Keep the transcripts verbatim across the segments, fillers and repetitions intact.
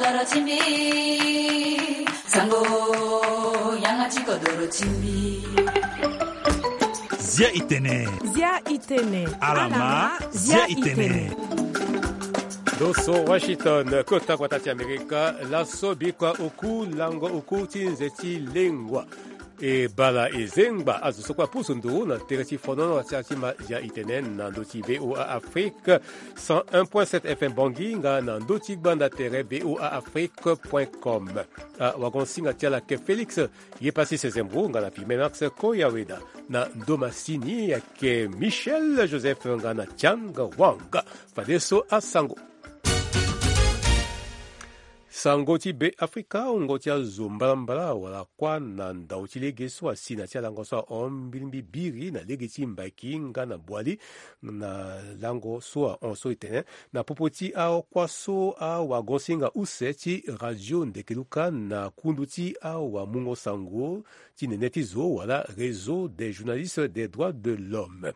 Doro ti mbi, sango, yanga ti kodoro ti mbi. Zia itene. Zia itene. Alama, zia itene. Ndo so Washington, kota gbata ti Amerika, laso bikua oku lango oku ti nze ti lengua. E bala e zengba azo so kue apusu nduru na tere ti fonono ti ma Zia itene na ndö ti V O A Afrique cent un point sept F M Bangui nga na ndö ti gbanda tere V O A Afrique point com. Awagonsinga ti ala ayeke Félix Yepasi Sezembro nga na Pimenax Koyaweda. Na ndo masini ayeke Michel Joseph nga na Tiang Wang. Fadeso asango. Sango ti Be Afrika, wungo ti azo mbalambala wala kuâ na ndau ti lege so asi na ti alango so ahon mbirimbi biri na lege ti Mbaki nga na Boali, na lango so ahon so e tene na popo ti akuâ so awagonsinga use ti radio Ndekeluka na kundu ti awamungo sango ti nene ti zo wala Réseau des journalistes des droits de l'homme.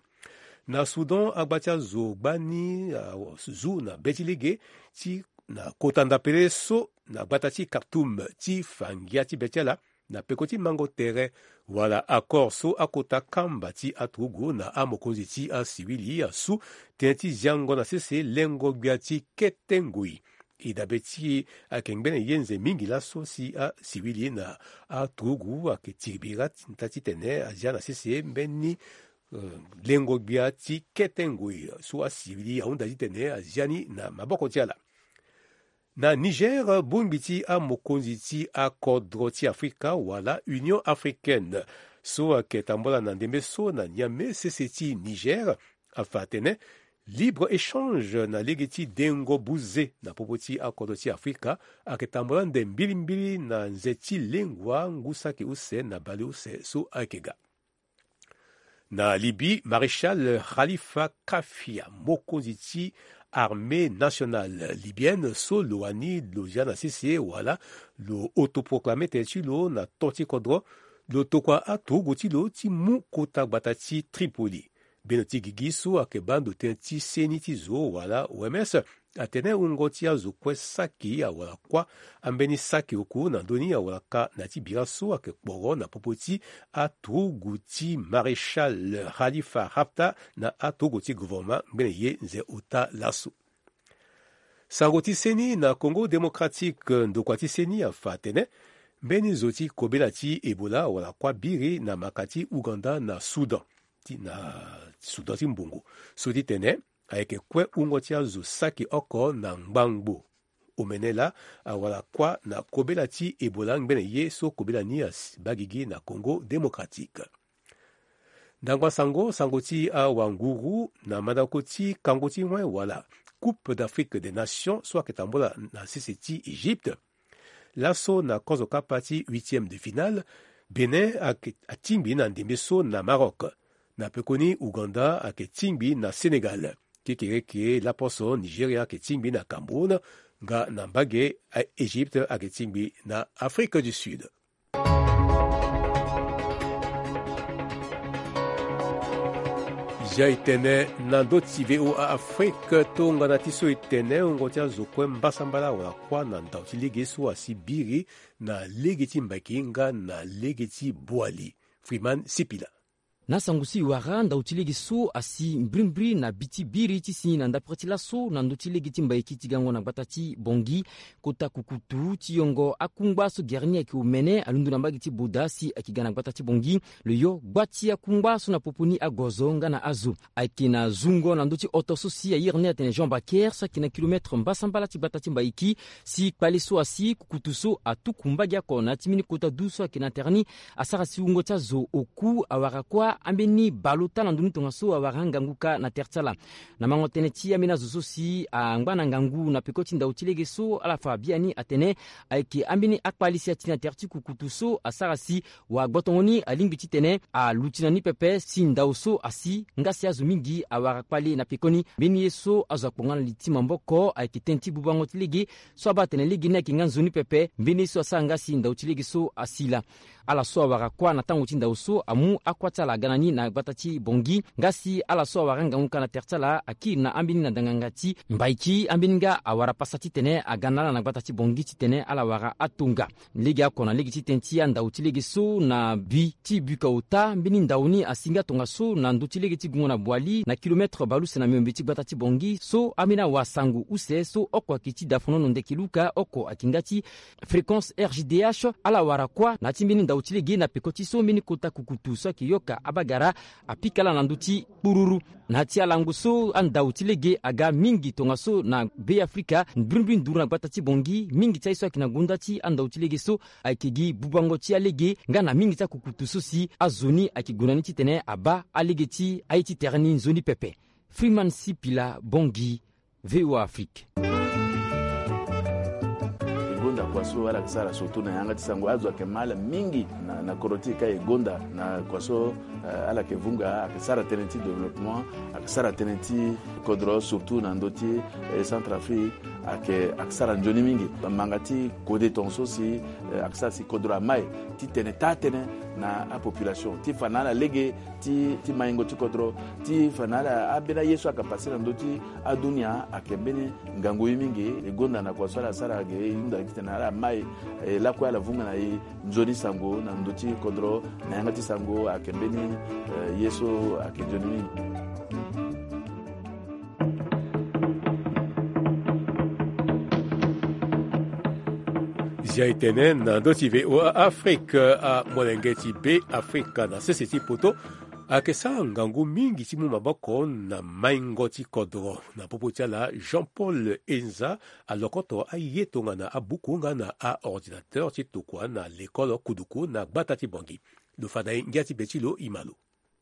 Na Soudan, agba ti azo gbani azu na be ti lege ti na kota ndapele so na gbata ti Khartoum ti fa ngia ti be ti ala na peko ti mango tere wala accord so akota kamba ti aturugu na amokonzi ti asiwili asu tënë ti ziango na sese lengo gbia ti kete ngoi. E dabe ti ayeke ngbene ye nze mingi laso si asiwili na aturugu ayeke tiri bira ti tene azia na sese mbeni eh, lengo gbia ti kete ngoi so asiwili ahunda titene azia ni na maboko ti ala. Na Niger, bongbi ti amokonzi ti akodro ti Afrika wala Union Africaine so ayeke tambola na ndembe so na Niamey, sese ti Niger, afa atene libre échange na lege ti dengo buze na popo ti akodro ti Afrika ayeke tambola ande mbilimbili na nze ti lengua ngu saki use na bale use so ayeke ga. Na Libye, Maréchal Khalifa Kafia, mokonzi ti armée nationale libyenne so lo wani lo zia na sese wala lo autoproclame tene ti lo na to ti kodro, lo tokua aturugu ti lo ti mu kota gbata ti Tripoli. Bendo ti gigi so ayeke baa ndo tënë ti seni ti zo wala O M S atene wungo ti azo kue saki awara kuâ ambeni saki oku na ndö ni awara ka na ya ti bira so ayeke kporo na popo ti aturugu ti Maréchal Khalifa Haftar na aturugu ti gouvernement ngbene ye nze ota laso. Sango ti seni na Congo Démocratique, ndokua ti seni afa atene mbeni zo ti kobela ti Ebola awara kuâ biri na maka ti Ouganda na Soudan ti na Soudan ti mbongo. So ti tene ayeke kue wungo ti azo saki oko na ngbangbo omene laa awara kuâ na kobela ti Ebola ngbene ye so kobela ni asi baa gigi na Congo Démocratique. Ndangba sango, sango ti awanguru na mandako ti kango ti wen wala Coupe d'Afrique des Nations so ayeke tambola na sese ti Égypte. Laso na kozo kapa ti huitième de finale, Bénin ayeke atingbi na ndembe so na Maroc. Na pekoni Ouganda ayeke tingbi na Sénégal. Kekereke laposo Nigeria ayeke tingbi na Cameroun, nga na mbage Égypte ayeke tingbi na Afrique du Sud. Zia e tene na ndö ti V O A Afrique, tongana ti so e tene wungo ti azo kue mbasambala wala kuâ na ndau ti lege so asi biri na lege ti Mbaki nga na lege ti Boali. Freeman Sipila. Na sango so e wara, ndau ti lege so asi mbrimbri na bi ti biri ti si na ndapere ti laso na ndö ti lege ti Mbaki ti gango na gbata ti Bangui, kota kukutu ti yongo akungba so gere ni ayeke omene alondo na mbage ti Boda si ayeke ga na gbata ti Bangui. Lo yo gba ti akungba so na popo ni agozo nga na azo. Ayeke na zungo na ndö ti oto so si ayere ni atene Jean Baker so ayeke na kilomètre mbasambala ti gbata ti Mbaiki, si kpale so asi kukutu so atuku mbage oko na ya ti mbeni kota du so ayeke na tere ni, asara si wungo ti azo oku awara kuâ ambeni bale ota na ndö ni tongaso awara angangu kâ na tere ti ala. Na mango tënë ti ambeni azo so si angba na ngangu na peko ti ndau ti lege so ala fa biani atene ayeke ambeni akpale si ati na tere ti kukutu so asara si wagbotongo ni alingbi titene aluti na ni pepe si ndau so asi nga si azo mingi awara kpale na pekoni. Mbeni ye so azo akpo nga na li ti maboko ayeke tënë ti bubango ti lege so abaa atene lege ni ayeke nga nzoni pepe. Mbeni ye so asara nga si ndau ti lege so asi laa. Ala so awara kuâ na tango ti ndao so amu akuâ ti ala aga na ni na gbata ti Bangui. Nga si ala so awara angangu ka na tere ti ala akiri na ambeni na danganga ti mbaiki, ambeni nga awara pasa titene aga na ala na gbata ti Bangui titene ala wara atonga. Lege oko na lege ti tene ti andao ti lege so na bi ti buka ota, mbeni ndao ni asi nga tongaso na ndö ti lege ti gungo na Boali, na kilomètre bale use na miombe ti gbata ti Bangui, so ambeni awasango use so oko ayeke ti Dafonono Ndeke Luka, oko ayeke nga ti Fréquence R G D H. Ala wara kuâ na ya ti mbeni ndao ti lege na peko ti so mbeni kota kukutu so ayeke yoka abagara apika ala na ndö ti kpururu. Na ya ti alango so andao ti lege aga mingi tongaso na Be Afrika, mbirimbiri nduru na gbata ti Bangui, mingi ti aye so ayeke na gonda ti andao ti lege so ayeke gi bubango ti alege nga na mingi ti akukutu so si azo ni ayeke gue na ni titene abaa alege ti aye ti tere ni nzoni pepe. Freeman Sipila, Bangui, V O A Afrique. E gonda kua so ala yeke sara surtout na yanga ti sango, azo ayeke ma ala mingi na, na kodro ti e ka e gonda na kua so, eh, ala yeke vunga, ayeke sara tënë ti développement, ayeke sara tënë ti kodro surtout na ndö ti, eh, Centrafrique, ayeke, ayeke sara nzoni mingi. Manga ti kode tongaso si, eh, ayeke sara si kodro amai ti tene taa tënë na apopulation ti fa na ala lege ti, ti maingo ti kodro, ti fa na ala ambeni aye so ayeke pase na ndö ti adunia ayeke mbeni ngangu ye mingi. E gonda na kua so ala sara ge, e hunda gi titene ala mai, e lakue ala vunga na e nzoni sango na ndö ti kodro na yanga ti sango ayeke mbeni, eh, ye so ayeke nzoni mingi. Zia e tene na ndö ti V O A Afrique, amolenge ti Be Afrika na sese ti poto ayeke sara ngangu mingi ti mu maboko na maingo ti kodro. Na popo ti ala, Jean-Paul Enza alokoto aye tongana abuku nga na aordinateur ti tokua na lekole Kuduku na gbata ti Bangui. Lo fa na e ngia ti be ti lo, e ma lo.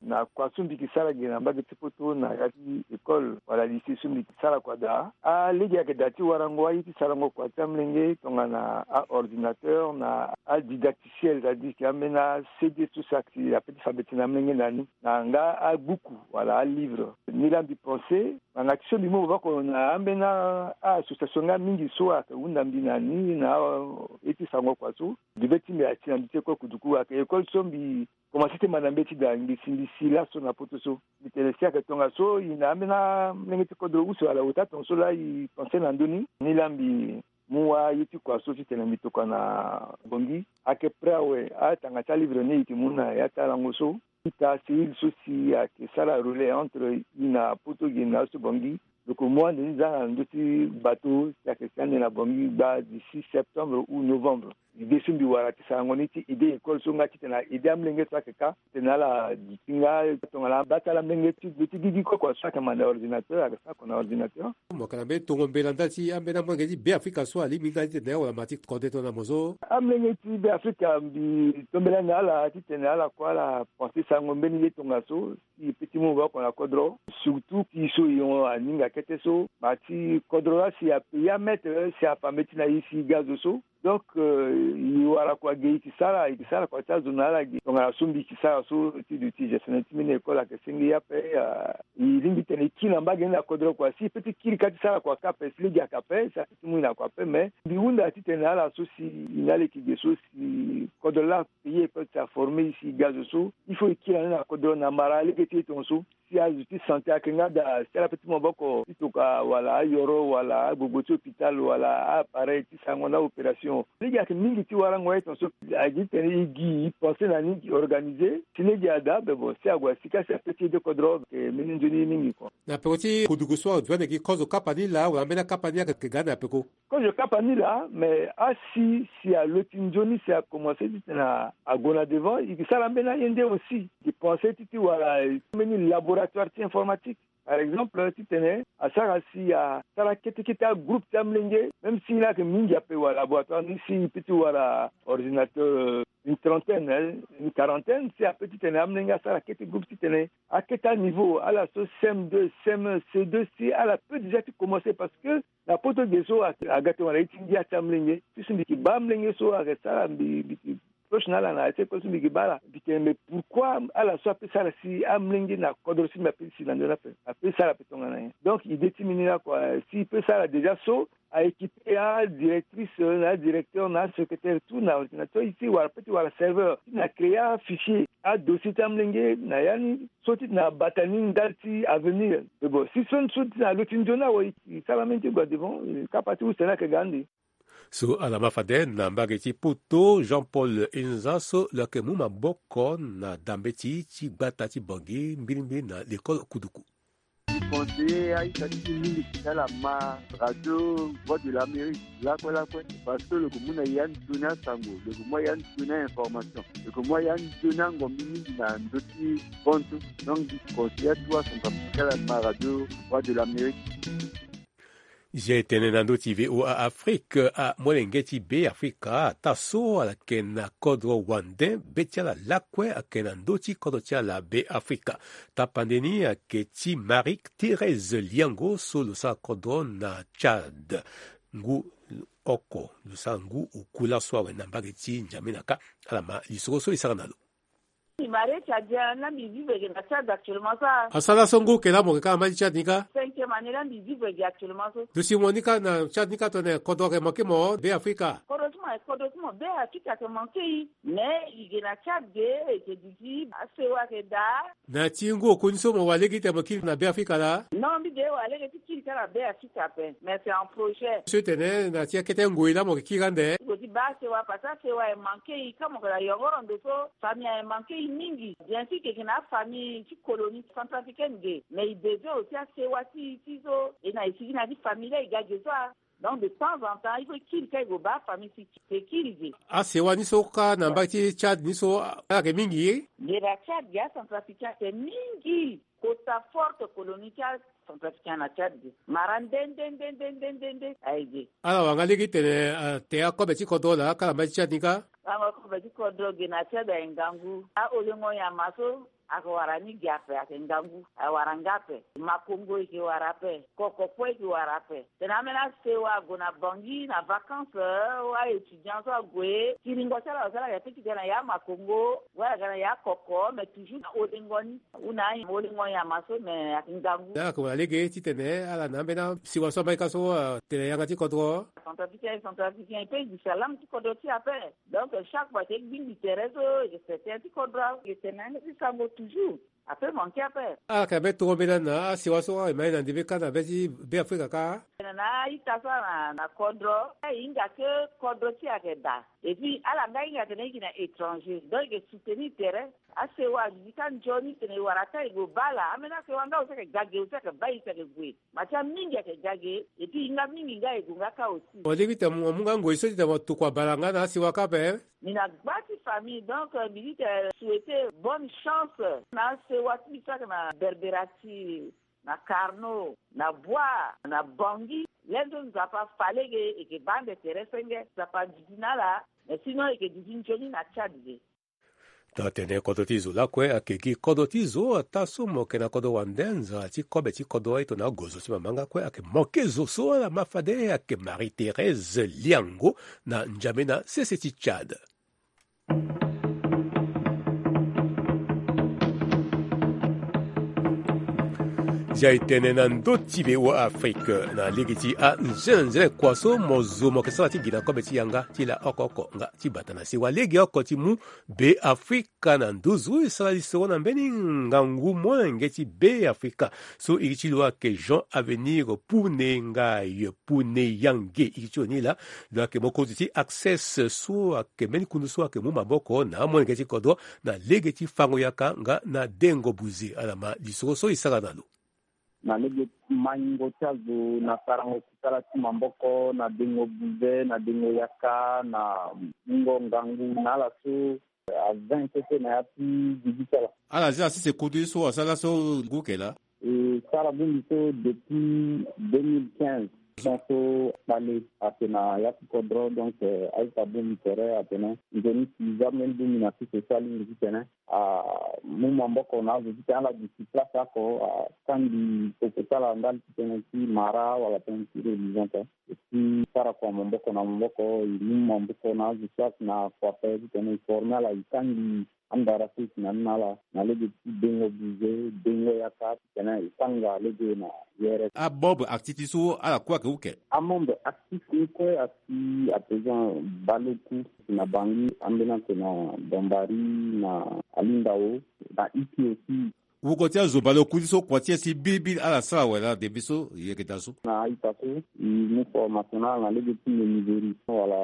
Na kua so mbi yeke sara ge na mbage ti poto na ya ti école wala lycée so mbi yeke sara kua daa, alege ayeke daa ti warango aye ti sarango kua ti amolenge tongana aordinateur na adidacticiel, c'est-à-dire que ambeni a-C D so si ayeke ape ti fa mbeti na amolenge na ni, na nga abuku wala alivre. Nilaa mbi pense, ngbanga ti so mbi mu maboko na ambeni a-association nga mingi so ayeke hunda mbi na ni na aye ti sarango kua so. Mbi be ti mbi ati na mbi ti école Kuduku, ayeke école so mbi komanse ti manda mbeti daa, mbi si mbi si laso na poto so. Mbi tene si ayeke tongaso, e na ambeni amolenge ti kodro use wala ota tongaso laa e pense na ndö ni. Nilaa mbi mu aye ti kua so titene mbi tokua na Bangui. Ayeke prêt awe, atanga ti alivre ni e yeke mu na ya ti alango so. Ita cellule so si ayeke sara relais entre e na poto ge na azo ti Bangui. Lo yeke mu ande ni zanga na ndö ti bateau si ayeke si ande na Bangui gbaa dix-six septembre ou novembre. Idée so mbi wara ti sarango ni ti aider école so nga titene a aider amolenge so ayeke ka titene ala duti nga tongana abaa ti ala amolenge ti gbe ti gigi kue kua so ayeke manda ordinateur ayeke sara kua na ordinateur. Mo yeke na mbeni tongo mbela ndali ti ambeni amolenge ti Be Afrika so alingbi nga titene awara ma ti kode tongana mo so. Amolenge ti Be Afrika mbi tombela na ala titene ala kue ala pense sarango mbeni ye tongaso si e peut ti mu maboko na kodro. Surtout ti so e hon aninga kete so ma ti kodro laa si apayer amètre si afa mbeti na e si e ga zo so. Donc, euh, e wara kua ge e yeke sara, e yeke sara kua ti azo na ala ge. Tongana so mbi yeke sara so ti duti gestionnaire ti mbeni école ayeke senge ye ape, ah, e lingbi titene e kiri na mbage ni na kodro kua si e peut ti kiri kâ ti sara kua kâ ape si lege ayeke ape si apeut ti mu e na kua ape. Mais mbi hunda titene ala so si e na ala yeke ge so si kodro laa payer école si aformer e si e ga zo so, il faut e kiri na ni na kodro na mara lege ti e tongaso. Si azo ti santé ayeke nga daa si ala peut ti mu maboko ti tokua wala ayoro wala agbogbo ti hôpital wala a-appareil ti sarango na a-opération. Lege ayeke mingi ti warango aye tongaso. Ayeke titene e gi e pense na ni e organiser. Si lege ada be bon si ague asika si apeut ti aider kodro ayeke mbeni nzoni ye mingi kua. Na peko ti kuduku so azo ande gi kozo kapa ni laa wala ambeni akapa ni ayeke ga ande na peko. Kozo kapa ni laa, mais asi si alo ti nzoni si akomanse titene ague na devant, e yeke sara ambeni aye nde aussi. E yeke pense ti ti wara mbeni laboratoire ti informatique. Par exemple, titene asara si asara kete kete agroupe ti amolenge, même si ni ayeke mingi ape wala laboratoire ni si e peut ti wara ordinateur, euh, une trentaine, hein, une quarantaine, si apeut titene amolenge asara kete groupe titene akete aniveau, ala so C M deux, C M un, C deux, si ala peut déjà ti commencer parce que na poto ge so a, aga tongana ye ti ngia ti amolenge. Ti so mbi yeke baa amolenge so ayeke sara mbi, mbi yeke proche na ala na ya ti école so mbi yeke baa ala. Mbi tene mais pourquoi ala so apeut sara si amolenge na kodro so mbi apeut ti si na ndo ni ape? Apeut sara ape tongana nyen? Donc idée ti mbi ni laa kua, si e peut sara déjà so, a équipe ya directrice na directeur na secrétaire tout na ordinateur ti wara pe ti wara serveur ti na créer afichier adossier ti amolenge na ya ni so ti na bata ni ndali ti avenir. Mais bon si so so ti na lo ti nzoni awe e sara mbeni ti gue devant kapa ti use ni ayeke ga ande. So ala ma fade na mbage ti poto, Jean Paul Inza so lo yeke mu maboko na dambe ti ti gbata ti Bangui mbirimbiri na lekole kuduku. Ti conseiller aita ti mingi ti ala ma radio Voix de l'Amérique lakue lakue, parce que lo yeke mu na ya nzoni asango, lo yeke mu ya nzoni a-information, lo yeke mu ya nzoni angombi mingi na ndö ti poto. Donc mbi conseiller atu asango ti ala ma radio Voix de l'Amérique. Zia e tene na ndö ti V O A Afrique, amolenge ti Be Afrika ataa so ala yeke na kodro wande, be ti ala lakue ayeke na ndö ti kodro ti ala Be Afrika. Tapande ni ayeke ti Marie Thérèse Liango so lo sara kodro na Tchad. Ngu oko lo sara ngu oku laso awe na mbage ti N'Djamena kâ. Ala ma lisoro so e sara na lo. Mbi marie Tchadien, na mbi vivre ge na Tchad actuellement so. Asara so ngu oke laa mo yeke kâ na mbage ti Tchad ni kâ? Cinquième année la mbi vivre ge actuellement so. Lo si mo ni kâ na Tchad ni kâ tongana kodro ayeke manke mo Be Afrika? Kodro ti mo, kodro ti mo Be Afrika ayeke manke e. Mais e ge na Tchad ge, e yeke duti asewa ayeke daa. Na ti ngu oku ni so mo wara lege ti tene mo kiri na Be Afrika laa? Non, mbi ge wara lege ti kiri kâ na Be Afrika ape, mais c'est un projet. So e tene na ti akete ngoi laa mo yeke kiri ande? Ti baa asewa parce que asewa e manke e, ka mo yeke na yongoro ndo so famille aye manke e mingi. Bien sûr e yeke na afamille ti colonie centrafricaine ge, mais e besoin aussi asewa ti e ti so e na e sigi na ti famille la e ga ge so a. Donc de temps en temps il faut e kiri kâ e gue baa afamille ti e, e kiri ge. Asewa ni so kâ na mbage ti Tchad ni so ala yeke mingi? Ge na Tchad ge acentrafricain ayeke mingi. Kota forte colonie ti acentrafricain na Tchad ge. Mara nde nde nde nde nde nde aye ge. Ala wara nga lege ti tene, eh, te akobe ti kodro laa kâ na mbage ti Tchad ni kâ? Lango akobe ti kodro ge na Tchad aye ngangu. Aholengo nyama so ayeke wara ni ge ape, ayeke ngangu, awara nga ape. Makongo e yeke wara ape, kokokpo e yeke wara ape. Tene ambeni asewa ague na Bangui na vacances, eh, wa étudiant so ague, kiringo ti ala so ala yeke ti ga na ya Makongo, wala ga na ya koko, mais toujours na holengo ni. Hunda aholengo nyama so, mais ayeke ngangu. Ala yeke wara lege ti tene ala na ambeni asewa so amai kâ so, eh, tene yanga ti kodro. Centrafricain, centrafricain e pe e gi salam ti kodro ti e ape. Donc chaque fois e yeke gbingbi tere so e yeke se tënë ti kodro, e yeke tene na yanga ti sango toujours. Ape manke ape. Ala yeke na mbeni toro mbela na asewa so e ma ye na ndembe kâ na be ti Be Afrika kâ? Tene na a-ita so ala na kodro, e hinga ke kodro ti e ayeke daa. Et puis ala nga hinga tene e yeke na étranger, donc e yeke soutenir tere. Asewa aduti kâ nzoni tene e wara kâ e gue baa ala. Ambeni asewa nga aussi ayeke ga ge, aussi ayeke baa e si ayeke gue. Matia mingi ayeke ga ge, et puis e hinga mingi nga e gue nga kâ aussi. Mo lingbi tene mo mu nga ngoi so ti tene mo tokua bala nga na asewa kâ ape? Mbi na gba ti famille, donc, euh, mbi di tene souhaiter bonne chance na asewa ti mbi so ayeke na Berbera ti, na Karno, na Bouar, na Bangui. Lê so Nzapa fa lege e yeke baa ande tere senge, Nzapa aduti na ala. Mais sinon e yeke duti nzoni na Tchad ge. Tongana tene kodro ti zo lakue ayeke gi kodro ti zo, ataa so mo yeke na kodro wande, nzara ti kobe ti kodro aye tongana agozo ti mama nga kue ayeke manke zo so ala ma fade ayeke Marie Thérèse Liango na N'Djamena, sese ti Tchad. Zia e tene na ndö ti V O A Afrique na lege ti anzenanzene kua so mo zo mo yeke sara ti gi na kobe ti yanga ti la oko oko nga ti bata na sewa lege oko ti mu Be Afrika na nduzu e sara lisoro na mbeni ngangu molenge ti Be Afrika so iri ti lo ayeke Jean Avenir Pune Ngaye Pune Yange. Iri ti lo ni laa lo ayeke mokonzi ti Access so ayeke mbeni kundu so ayeke mu maboko na amolenge ti kodro na lege ti fango yaka nga na dengo buze. Ala ma lisoro so e sara na lo. Na lege maingo ti azo na sarango kusala ti maboko, na dengo buze, na dengo yaka, na mungo ngangu na ala so. Aza intéressé na ya ti gigi ti ala. Ala zi asese kutu ye so asara so ngu yeke laa? E sara bongbi so depuis deux mille quinze. Son so kpale ayeke na ya ti kodro, donc, euh, a-ita bongbi tere atene nzoni si za mbeni bongbi na sese so alingbi titene amu maboko na azo titene ala duti place oko, akangbi peko ti ala ndali titene ti mara wala tënë ti religion te. Et puis sara kua maboko na maboko, e mu maboko na azo so ayeke na kua ape titene e former ala, e kangbi Andara so e si na ni na ala na lege ti dengo bize, dengo yaka, titene e sanga lege na yere. Amembre actif ti so ala kue ayeke uke. Amembre actif ni kue asi à présent baleoku, si na Bangui, ambeni atene na Bambari, na Alindao, na Iki aussi. Wungo ti azo baleoku ti so kua ti e si bilibili ala sara wala debe so e yeke daa so. Na a-ita so e mu formation na ala na lege ti menuiserie wala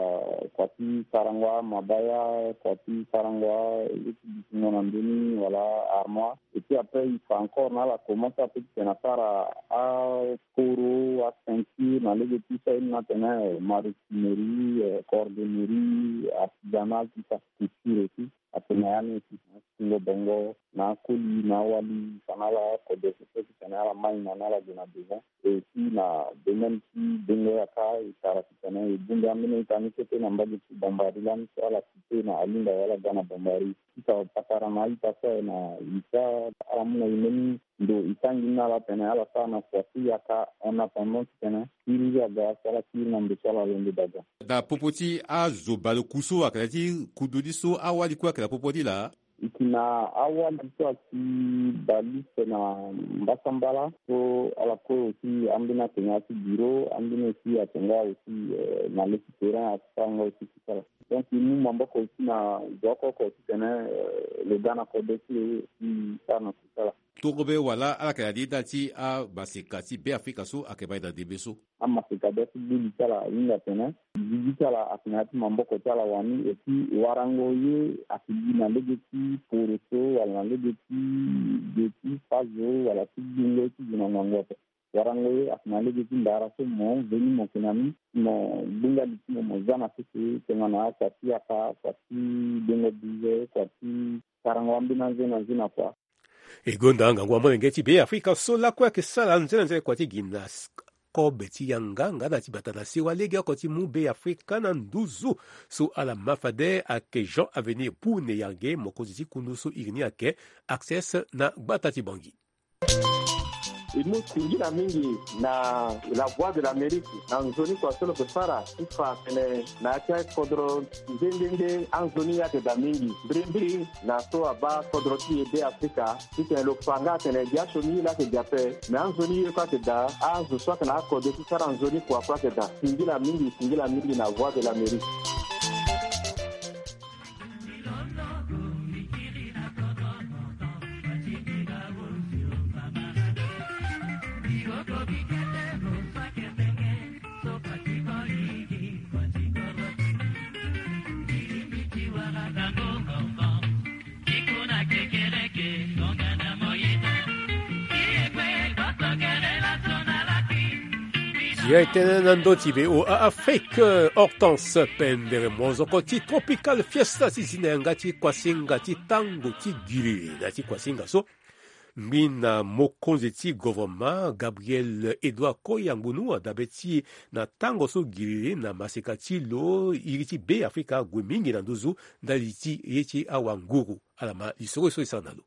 kua ti sarango amabaya, kua ti sarango lege ti bisingo na ndoni wala armoire. Et puis après e fa encore na ala comment ça peut titene asara akoro, aceinture na lege ti so aye ni na tene maroquinerie, euh, cordonnerie, artisanal, tout ça, couture aussi. Atene na ya ni aussi na atingo bongo na akoli na awali, fa na ala kode so titene ala mai na ni ala gue na devant. Et aussi na domaine ti dengo yaka, e tara titene e bongbi ambeni ita ni kete na mbage ti Bambari lani so ala cité na Alinda wala ga na Bambari. Ti fa patara na a-ita so aye na ita ala mu na e mbeni ndo e tangi ni na ala tene ala sara na kua ti yaka en attendant titene kiri aga so ala kiri na ndo so ala londo daga. Na popo ti azo baleoku so ayeke na ya ti kodro ni so awali kue ayeke na popo ni laa. E yeke na awali so ayeke baleoku na mbasambala so ala kue aussi ambeni atene ya ti bureau, ambeni aussi atene nga aussi, euh, na le ti terrain asara nga aussi ti sara. Donc e mu maboko aussi na zo oko oko titene, euh, lo ga na kode ti lo e sara na kusala. Torobe wala ala yeke na li daa ti amaseka ti Beafrika so ayeke baa e na ndembe so. Amaseka bia ti gbeli ti ala ahinga atene gigi ti ala ayeke na ya ti maboko ti ala wani. Et puis warango ye ayeke gi na lege ti poroso wala na lege ti ge ti fazo wala ti gbingo ti gi na ngangu ape. Warango ye ayeke na lege ti ndara so mo veni mo yeke na ni, mo gbinga li ti mo, mo za na sese tongana akua ti yaka, akua ti dengo bize, akua ti sarango ambeni anze na anze na kua. E gonda ngangu amolenge ti Beafrika so lakue ayeke sara nzene nzene kua ti gi na s-, kobe ti yanga nga na ti bata na sewa legeoko ti mu Beafrika na nduzu so ala ma fade ayeke Jean Avenir Bune Yange, mokonzi ti kundu so iri ni ayeke Access na gbata ti Bangui. E mu singila mingi na La Voix de l'Amérique na nzoni kua so lo yeke sara ti fa atene na ya ti akodro nde nde nde anzoni ayeke daa mingi. Mbirimbiri na so abaa kodro ti e Beafrika titene lo fa nga atene gi asioni ye laa ayeke gi ape, me anzoni ye kue ayeke daa, azo so ayeke na akode ti sara nzoni kua kue ayeke daa. Singila mingi, singila mingi na Voix de l'Amérique. Ya e tene na ndö ti V O A Afrique, Hortense Pendere, mozoko ti Tropical Fiesta ti zi na yanga ti kuasinga ti tango ti giriri na ya ti kuasinga so. Ngbi na mokonzi ti gouvernement Gabriel Edouard Koya Ngbonu adabe ti e na tango so giriri na maseka ti lo iri ti Beafrika ague mingi na nduzu ndali ti ye ti awanguru. Ala ma lisoro so e sara na lo.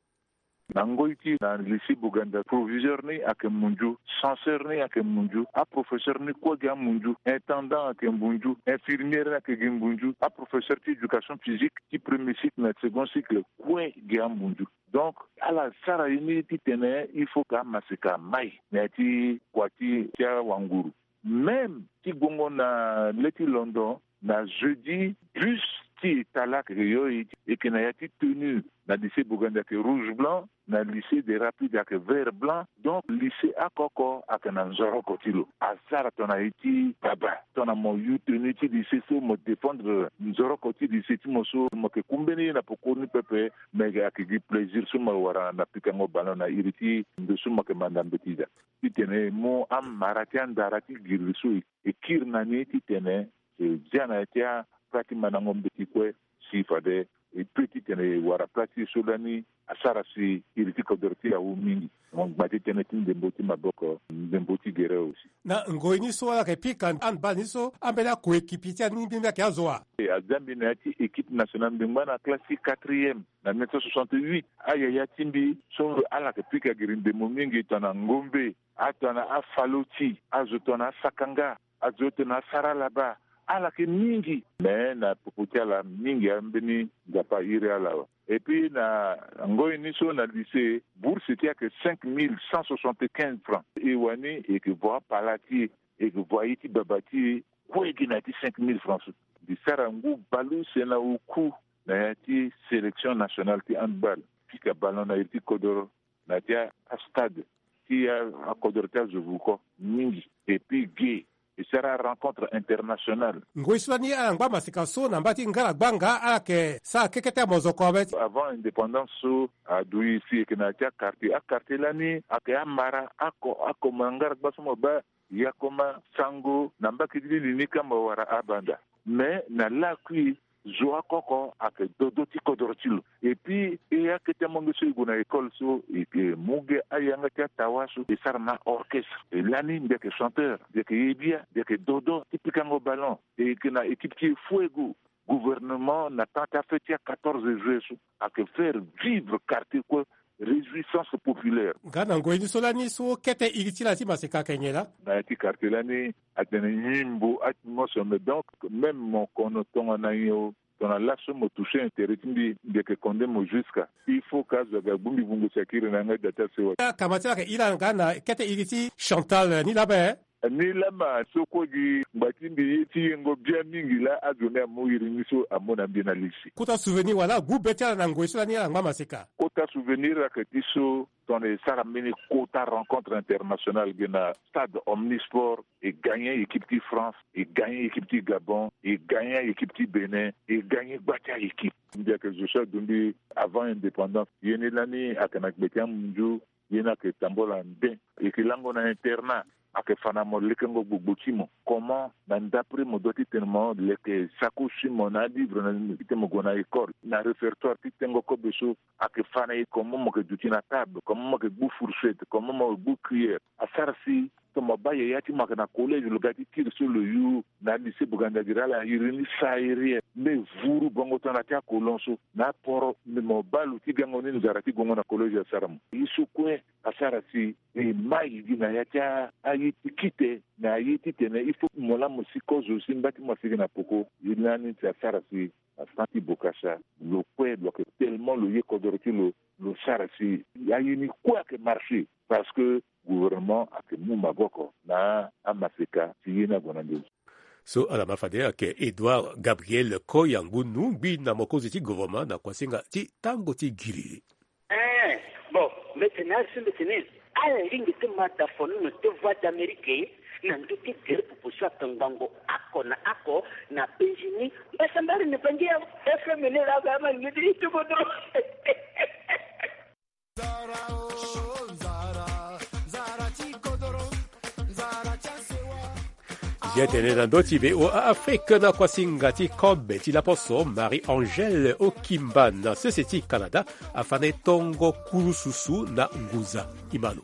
Na ngoi ti na lycée Boganda, proviseur ni ayeke munzu, censeur ni ayeke munzu, aprofesseur ni kue gi amunzu, intendant ayeke munzu, infirmière ni ayeke gi munzu, aprofesseur ti éducation physique ti premier cycle na second cycle kue gi amunzu. Donc ala sara ye ni titene il faut que amaseka amai na ya ti kua ti ti awanguru. Même ti guengo na le ti londo, na jeudi, bus ti État laa ayeke yo e, e yeke na ya ti tenue. Na lycée Boganda ayeke rouge blanc, na lycée des Rapides ayeke vert blanc. Donc lycée oko oko ayeke na nzoroko ti lo. Asara tongana ye ti baba, tongana mo yu tenue ti lycée so mo défendre nzoroko ti lycée ti mo so, mo yeke ku mbeni ye na pokoni pepe. Me ayeke gi plaisir so mo wara na pikango ballon na iri ti ndo so mo yeke manda mbeti da. Titene e mu amara ti andara ti giriri so e kiri na ni titene e zia na ya ti apla ti mandango mbeti kue si fade e pe titene e wara pla ti e so lani asara si iri ti kodro ti e awu mingi. Mo ngba ti tënë ti ndembo ti maboko, ndembo ti gere aussi. Na ngoi ni so ala yeke pika handball ni so, ambeni akoekipi ti ani ni mbi ayeke azo wa? E, azia mbi na ya ti équipe nationale, mbi ngba na classe ti quatrième na mille neuf cent soixante-huit. Ayaya ti mbi so ala yeke pika giri ndembo mingi tongana Ngombe, atongana Afaloti, azo tongana Asakanga, azo tongana Asaralaba, ala yeke mingi. Me na popo ti ala mingi ambeni Nzapa airi ala awe. Et puis na ngoi ni so na lycée, bourse ti e ayeke cinq mille cent soixante-quinze francs. E wani e yeke vo apala ti e, e yeke vo aye ti baba ti e, kue gi na ya ti cinq mille francs so. Mbi sara ngu baleuse na oku na ya ti sélection nationale ti handball, pika ballon na iri ti kodoro na ya ti astade ti akodoro ti azo vuko mingi. Et puis ge e sara rencontre internationale. Ngoi so lani ala ngba maseka so na mba ti ngara gbanga ala yeke sara kekete amozoko awe. Avant indépendance so adu e si e yeke na ya ti aquartier. Aquartier lani ayeke amara ako ako ma ngara gba so mo baa yakoma sango na mbaki ti li ni kamba wara abanda. Mais na lakui zo akoko ayeke dodo ti kodoro ti lo. Et puis e akete amonge so e gue na école so e yeke mu ge ayanga ti atawa so e sara na orchestre. E lani mbi yeke chanteur, mbi yeke ye bia, mbi yeke dodo ti pikango ballon. E yeke na équipe ti e fuego. Gouvernement na temps ti afête ti a quatorze juillet so ayeke faire vivre quartier kue réjouissance populaire. Nga na ngoi ni so lani so kete iri ti la ti maseka ayeke nyen laa? Na ya ti quartier lani atene nyimbo atmosphere, mais donc même mo kono tongana nyen o, tongana laso mo toucher intérêt ti mbi, mbi yeke condamner mo jusqu'à. Il faut que azo aga gbu mbi vungo si akiri na yanga ti da ti asewa. Akama ti la ayeke ira nga na kete iri ti Chantal ni laa be. Ni lama so kue gi ngba ti mbi ye ti yengo bia mingi laa azo ni amu iri ni so amu na mbi na lisi. Kota souvenir wala gbu be ti ala na ngoi so lani ala ngba maseka? Kota souvenir ayeke ti so tongana e sara mbeni kota rencontre internationale ge na stade Omnisport, e gagner équipe ti France, e gagner équipe ti Gabon, e gagner équipe ti Bénin, e gagner gba ti a-équipe. Mbi ayeke zo so adu mbi avant indépendance. Ye ni lani ayeke na gbe ti amunzu. Ye ni ayeke tambula ande. E yeke lango na internat. Ayeke fa na mo lekengo gbogbo ti mo. Comment na ndapre mo doit ti tene mo leke sacoche ti mo na alivre na ti tene mo gue na école, na répertoire ti tengo kobe so. Ayeke fa na e comment mo yeke duti na table, comment mo yeke gbu fourchette, comment mo yeke gbu cuillère. Asara si tongana mo baa yaya ti mo ayeke na collège, lo ga ti kiri so lo yu na lycée Bougaindaguira ala iri ni saa iri. Mbe vuru bongo tongana ti akolon so na aporo, mbi mo baa lo ti gango ni nzara ti gongo na collège asara mo. Ye so kue asara si e mai gi na ya ti aye ti kite na aye titene il faut mo laa mo si kozo si mba ti mo asigi na poko. Ye lani ti asara si na temps ti bokasa lo kue lo yeke tellement lo ye kodoro ti lo, lo sara si aye ni kue ayeke marché. Parce que gouvernement ayeke mu maboko na amaseka si ye ni ague na nduzu. So ala ma fade ayeke Edouard Gabriel Koyangunu, gbi na mokonzi ti gouvernement na kuasinga ti tango ti giriri. Eh, bon, mbi tene asi mbi tene ala lingbi ti ma da fonono ti Voix d'Amérique na ndö ti gere popo so akangbango oko na oko na penzi ni. Mbasambari ni bangi ya F M ni laa ga ama lingbi ti tuku dro. Nzara o nzara, nzara ti kodoro, nzara ti asewa. Ye tene na ndö ti V O A Afrique na kuasinga ti kobe ti laposo Marie-Angèle Okimba na sese ti Canada afa na e tongo kurususu na ngunza. Imano.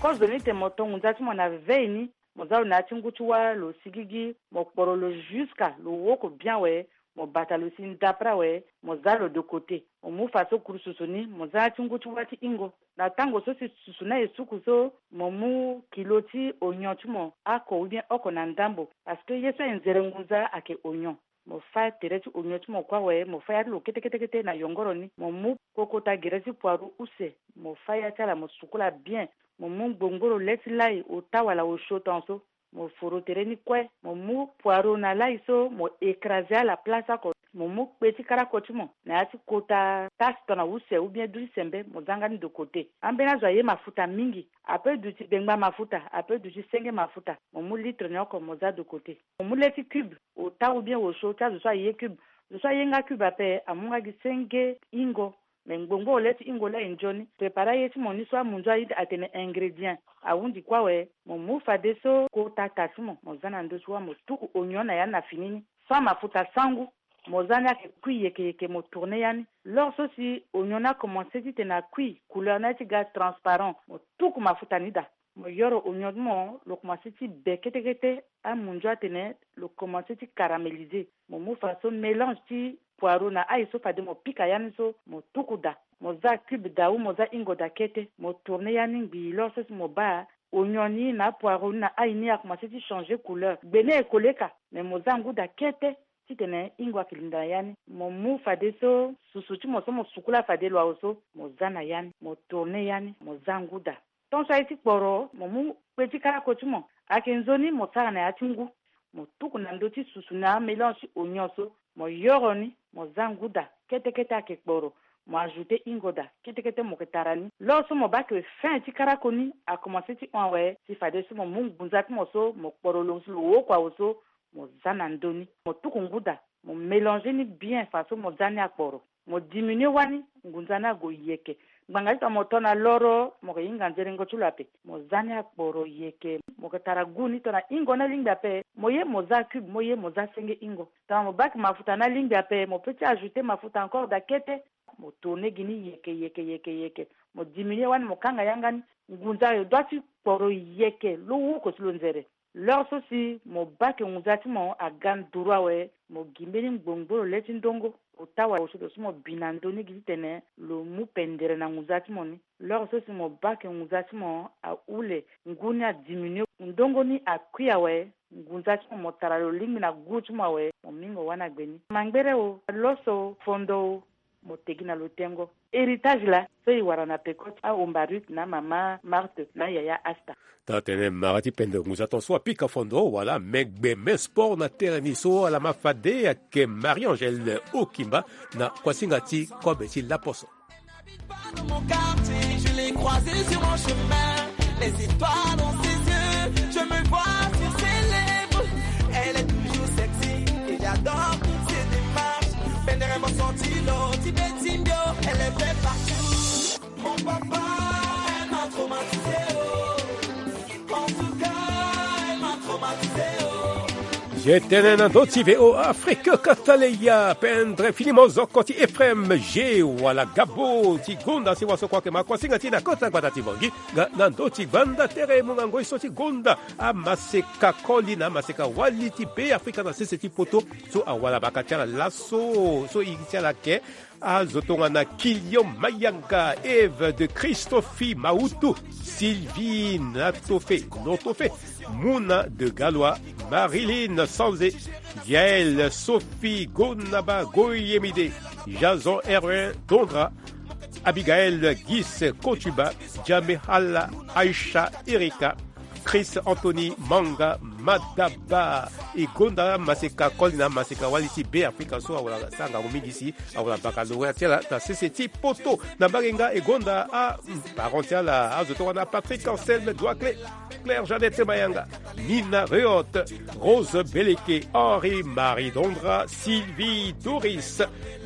Kozo ni tene mo to ngunza ti mo na vevei ni, mo za lo na ya ti ngu ti wâ lo sigigi, mo kporo lo jusqu'à lo woko bien awe, mo bata lo si ndapre awe, mo za lo de côté. Mo mu fa so kurususu ni, mo za ya ti ngu ti wâ ti hingo. Na tango so si susu ni aye suku so, mo mu kilo ti oignon ti mo oko ou bien oko na ndambo. Parce que ye so aye nzere ngunza ayeke oignon. Mo fâ tere ti oignon ti mo kue awe, mo fâ ya ti lo kete kete kete na yongoro ni. Mo mu kokota gere ti poireau use, mo fâ ya ti ala mo sukula bien. Mo mu ngbongboro le ti lai, ota wala osio tongaso. Mo foro tere ni kue, mo mu poireau na lai so, mo écraser ala place oko. Mo mu kpe ti karako ti mo na ya ti kota tasse tongana use ou bien du ti sembe, mo za nga ni de côté. Ambeni azo aye mafuta mingi, ape duti bengba mafuta, ape duti senge mafuta. Mo mu litre ni oko mo za de côté. Mo mu le ti cube, ota ou bien osio ti azo so aye cube. Zo so aye nga cube ape amu nga gi senge hingo. Me ngbongboro le ti hingo laa e nzoni. Prépare aye ti mo ni so amunzu aye atene ingrédient ahundi kue awe. Mo mu fadeso kota ta ti mo, mo za na ndö ti wâ, mo tuku oignon na ya ni na fini ni sans mafuta, sans goût. Mo za ni ayeke kui yeke yeke, mo tourner ya ni. Lors so si oignon ni akomanse titene akui, couleur ni aye ti ga transparent, mo tuku mafuta ni daa. Mo yoro oignon ti mo, lo komanse ti be kete kete, amunzu atene lo komanse ti caraméliser. Mo mu faso mélange ti poireau na ail so fade mo pika ya ni so, mo tuku daa. Mo za cube daa ou mo za hingo daa kete, mo tourner ya ni ngbii, lors so si mo baa oignon ni na apoireau ni na ail ni akomanse ti changer couleur. Gbe ni aye koleka, mais mo za ngu daa kete titene hingo ayeke linda na ya ni. Mo mu fadeso susu ti mo so mo sukula fade lo awe so, mo za na ya ni, mo tourne ya ni, mo za ngu daa. Tant so aye ti kporo, mo mu kpe ti karako ti mo, ayeke nzoni mo sara na ya ti ngu. Mo tuku na ndö ti susu na amélange ti oignon so, mo yoro ni, mo za ngu daa. Kete kete ayeke kporo, mo ajouter hingo daa. Kete kete mo yeke tara ni. Lors so mo baa ke fin ti karako ni akomanse ti hon awe, si fadeso mo mu ngunza ti mo so mo kporo lo si lo woko awe so, mo za na ndö ni. Mo tuku ngu daa, mo mélanger ni bien faso mo za ni akporo. Mo diminuer wani, ngunza ni ague yeke. Ngbanga ti tongana mo to na loro, mo yeke hinga nzerengo ti lo ape. Mo za ni akporo yeke. Mo yeke tara goût ni tongana hingo ni alingbi ape, mo ye mo za cube, mo ye mo za senge hingo. Tongana mo baa ke mafuta ni alingbi ape, mo peut ti ajouter mafuta encore daa kete. Mo tourner gi ni yeke, yeke, yeke, yeke. Mo diminuer wani, mo kanga yanga ni. Ngunza awe doit ti kporo yeke, lo woko si lo nzere. Lors so si mo baa ke ngunza ti mo aga nduru awe, mo gi mbeni ngbongboro le ti ndongo. Ota awe, lo so mo bi na ndö ni gi titene lo mu pendere na ngunza ti mo ni. Lors so si mo baa ke ngunza ti mo ahule, ngu ni adiminuer, ndongo ni akui awe, ngunza ti mo, mo tara lo lingbi na goût ti mo awe, mo mingo wani agbe ni. Mangbere o, loso, fondo o, mo tegi na lo tengo. Héritage laa so e wara na peko ti ahomba Ruth na mama Marthe na yaya Asta. Taa tene mara ti pende ngunza ton so apika fondo wala me gbe me sport na tere ni so ala ma fade ayeke Marie-Angèle Okimba na kuasinga ti kobe ti laposo. Dans mon quartier, je l'ai croisé sur mon chemin. Les étoiles dans ses yeux, je me vois sur ses lèvres. Elle est toujours sexy et j'adore toutes ses démarches. Pendere mo senti lo ti beti mbio, elle est belle partout. Mon papa, elle m'a traumatisé, oh. En tout cas, elle m'a traumatisé, oh. Ye tene na ndö ti V O A Afrique, kata leya pendre fini mozoko ti Ephraim G wala Gabo ti gonda si waso kua yeke ma kuasinga ti na kota gbata ti Bangui. Nga na ndö ti gbanda tere mungangoi so ti gonda amaseka koli na amaseka wali ti Be Afrika na sese ti poto so awara baka ti ala laso so iri ti ala yeke azo tongana Kilian Mayanga, Eve de Christofi Mautu, Sylvie Natofe, Notofe, Muna de Galois, Marilyn Sanze, Yael Sophie Gonaba Goyemide, Jason Erwin Dondra, Abigail Gis Kotuba, Jamehala Aisha Erika, Chris Anthony Manga Madaba. E gonda maseka koli na maseka wali ti Be Afrika so awara sara ngangu mingi si awara baccalauréat ti ala na sese ti poto. Na mbage nga e gonda aparent ti ala azo tongana Patrick Anselme Doicle, Claire Jeannette Mayanga, Nina Reot, Rose Beleke, Henri Marie Dondra, Sylvie Doris,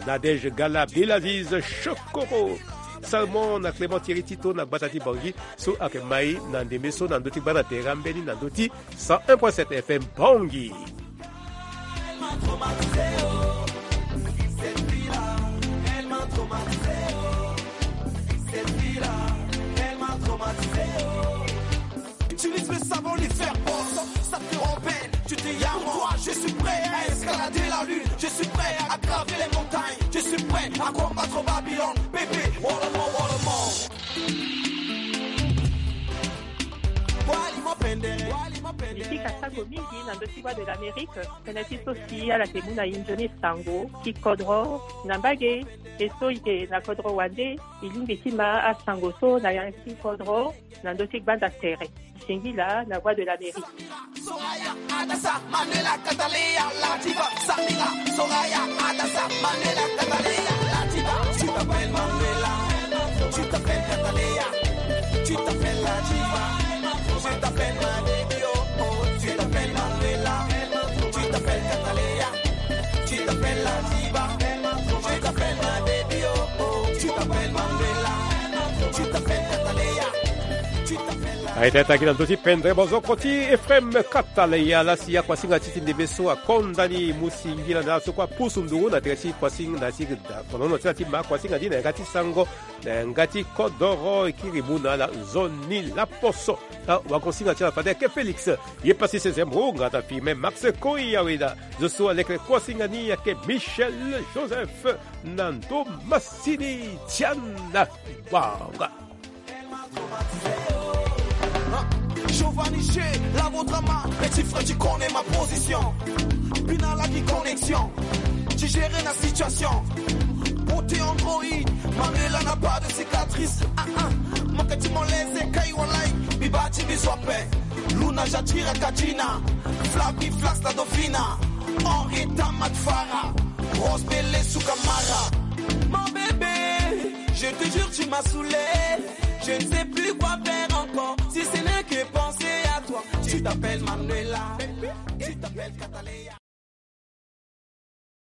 Nadège Gala, Belaziz Chokoro, Salmon na Clément Thierry Tito na gbata ti Bangui so ayeke mai na ndembe so na ndö ti gbanda tere ambeni na ndö ti cent un point sept F M Bangui. Utilise le savon, les faire boss, ça te rend belle. Tu te yamois, je suis prêt à escalader la lune, je suis prêt à graver les montagnes, je suis prêt à combattre Babylone, bébé, wolomo, wolomo. Mbi pika sango mingi na ndö ti Voix de l'Amérique, tënë ti so si ala yeke mu na e nzoni sango ti kodro na mbage, e so e yeke na kodro wande, e lingbi ti ma asango so na ya ti kodro na ndö ti gbanda tere. Singila na Voix de l'Amérique. Soraya, Adasa, Manuela, Cataleya, la diva, Samira. Soraya, Adasa, Manuela, Cataleya, la diva. Tu t'appelles Manuela, tu t'appelles Cataleya, tu t'appelles la diva. Je t'appelle ma baby, oh, oh. Tu t'appelles Manuela, tu t'appelles Cataleya, tu t'appelles la diva. Je t'appelle ma baby, oh, oh. Tu t'appelles Manuela, tu t'appelles Cataleya, tu t'appelles la Aita, aita gi na ndö ti pendre bozoko ti Ephraim Kataleya, lasi akuasinga ti ti ndembe so akonda ni mu singila na ala so kue apusu nduru na tere ti kuasinga na ti da konono ti ala ti ma akuasinga ni na yanga ti sango, na yanga ti kodoro, e kiri mu na ala nzoni laposo. Awakonsinga ti ala fade ayeke Félix, ye pasi Sezem Runga, ta Firmin Max Koyaweda, zo so aleke kuasinga ni ayeke Michel Joseph na ndo masini Tiana Banga. Faut vanicher, lavo drama, petit frère, tu connais ma position. Bina la qui connexion, tu gères la situation. Beauté androïde, Manuela n'a pas de cicatrice. Ah ah, mon que tu m'en laisses, Kai Walai, Bibati Biswape. Luna Jatira Katina, Flappy Flax la Dauphina. Henrietta Matfara, Rose Belle Sukamara. Mon bébé, je te jure, tu m'as saoulé. Je ne sais plus quoi faire encore, si ce n'est que penser à toi. Tu t'appelles Manuela, tu t'appelles Catalina.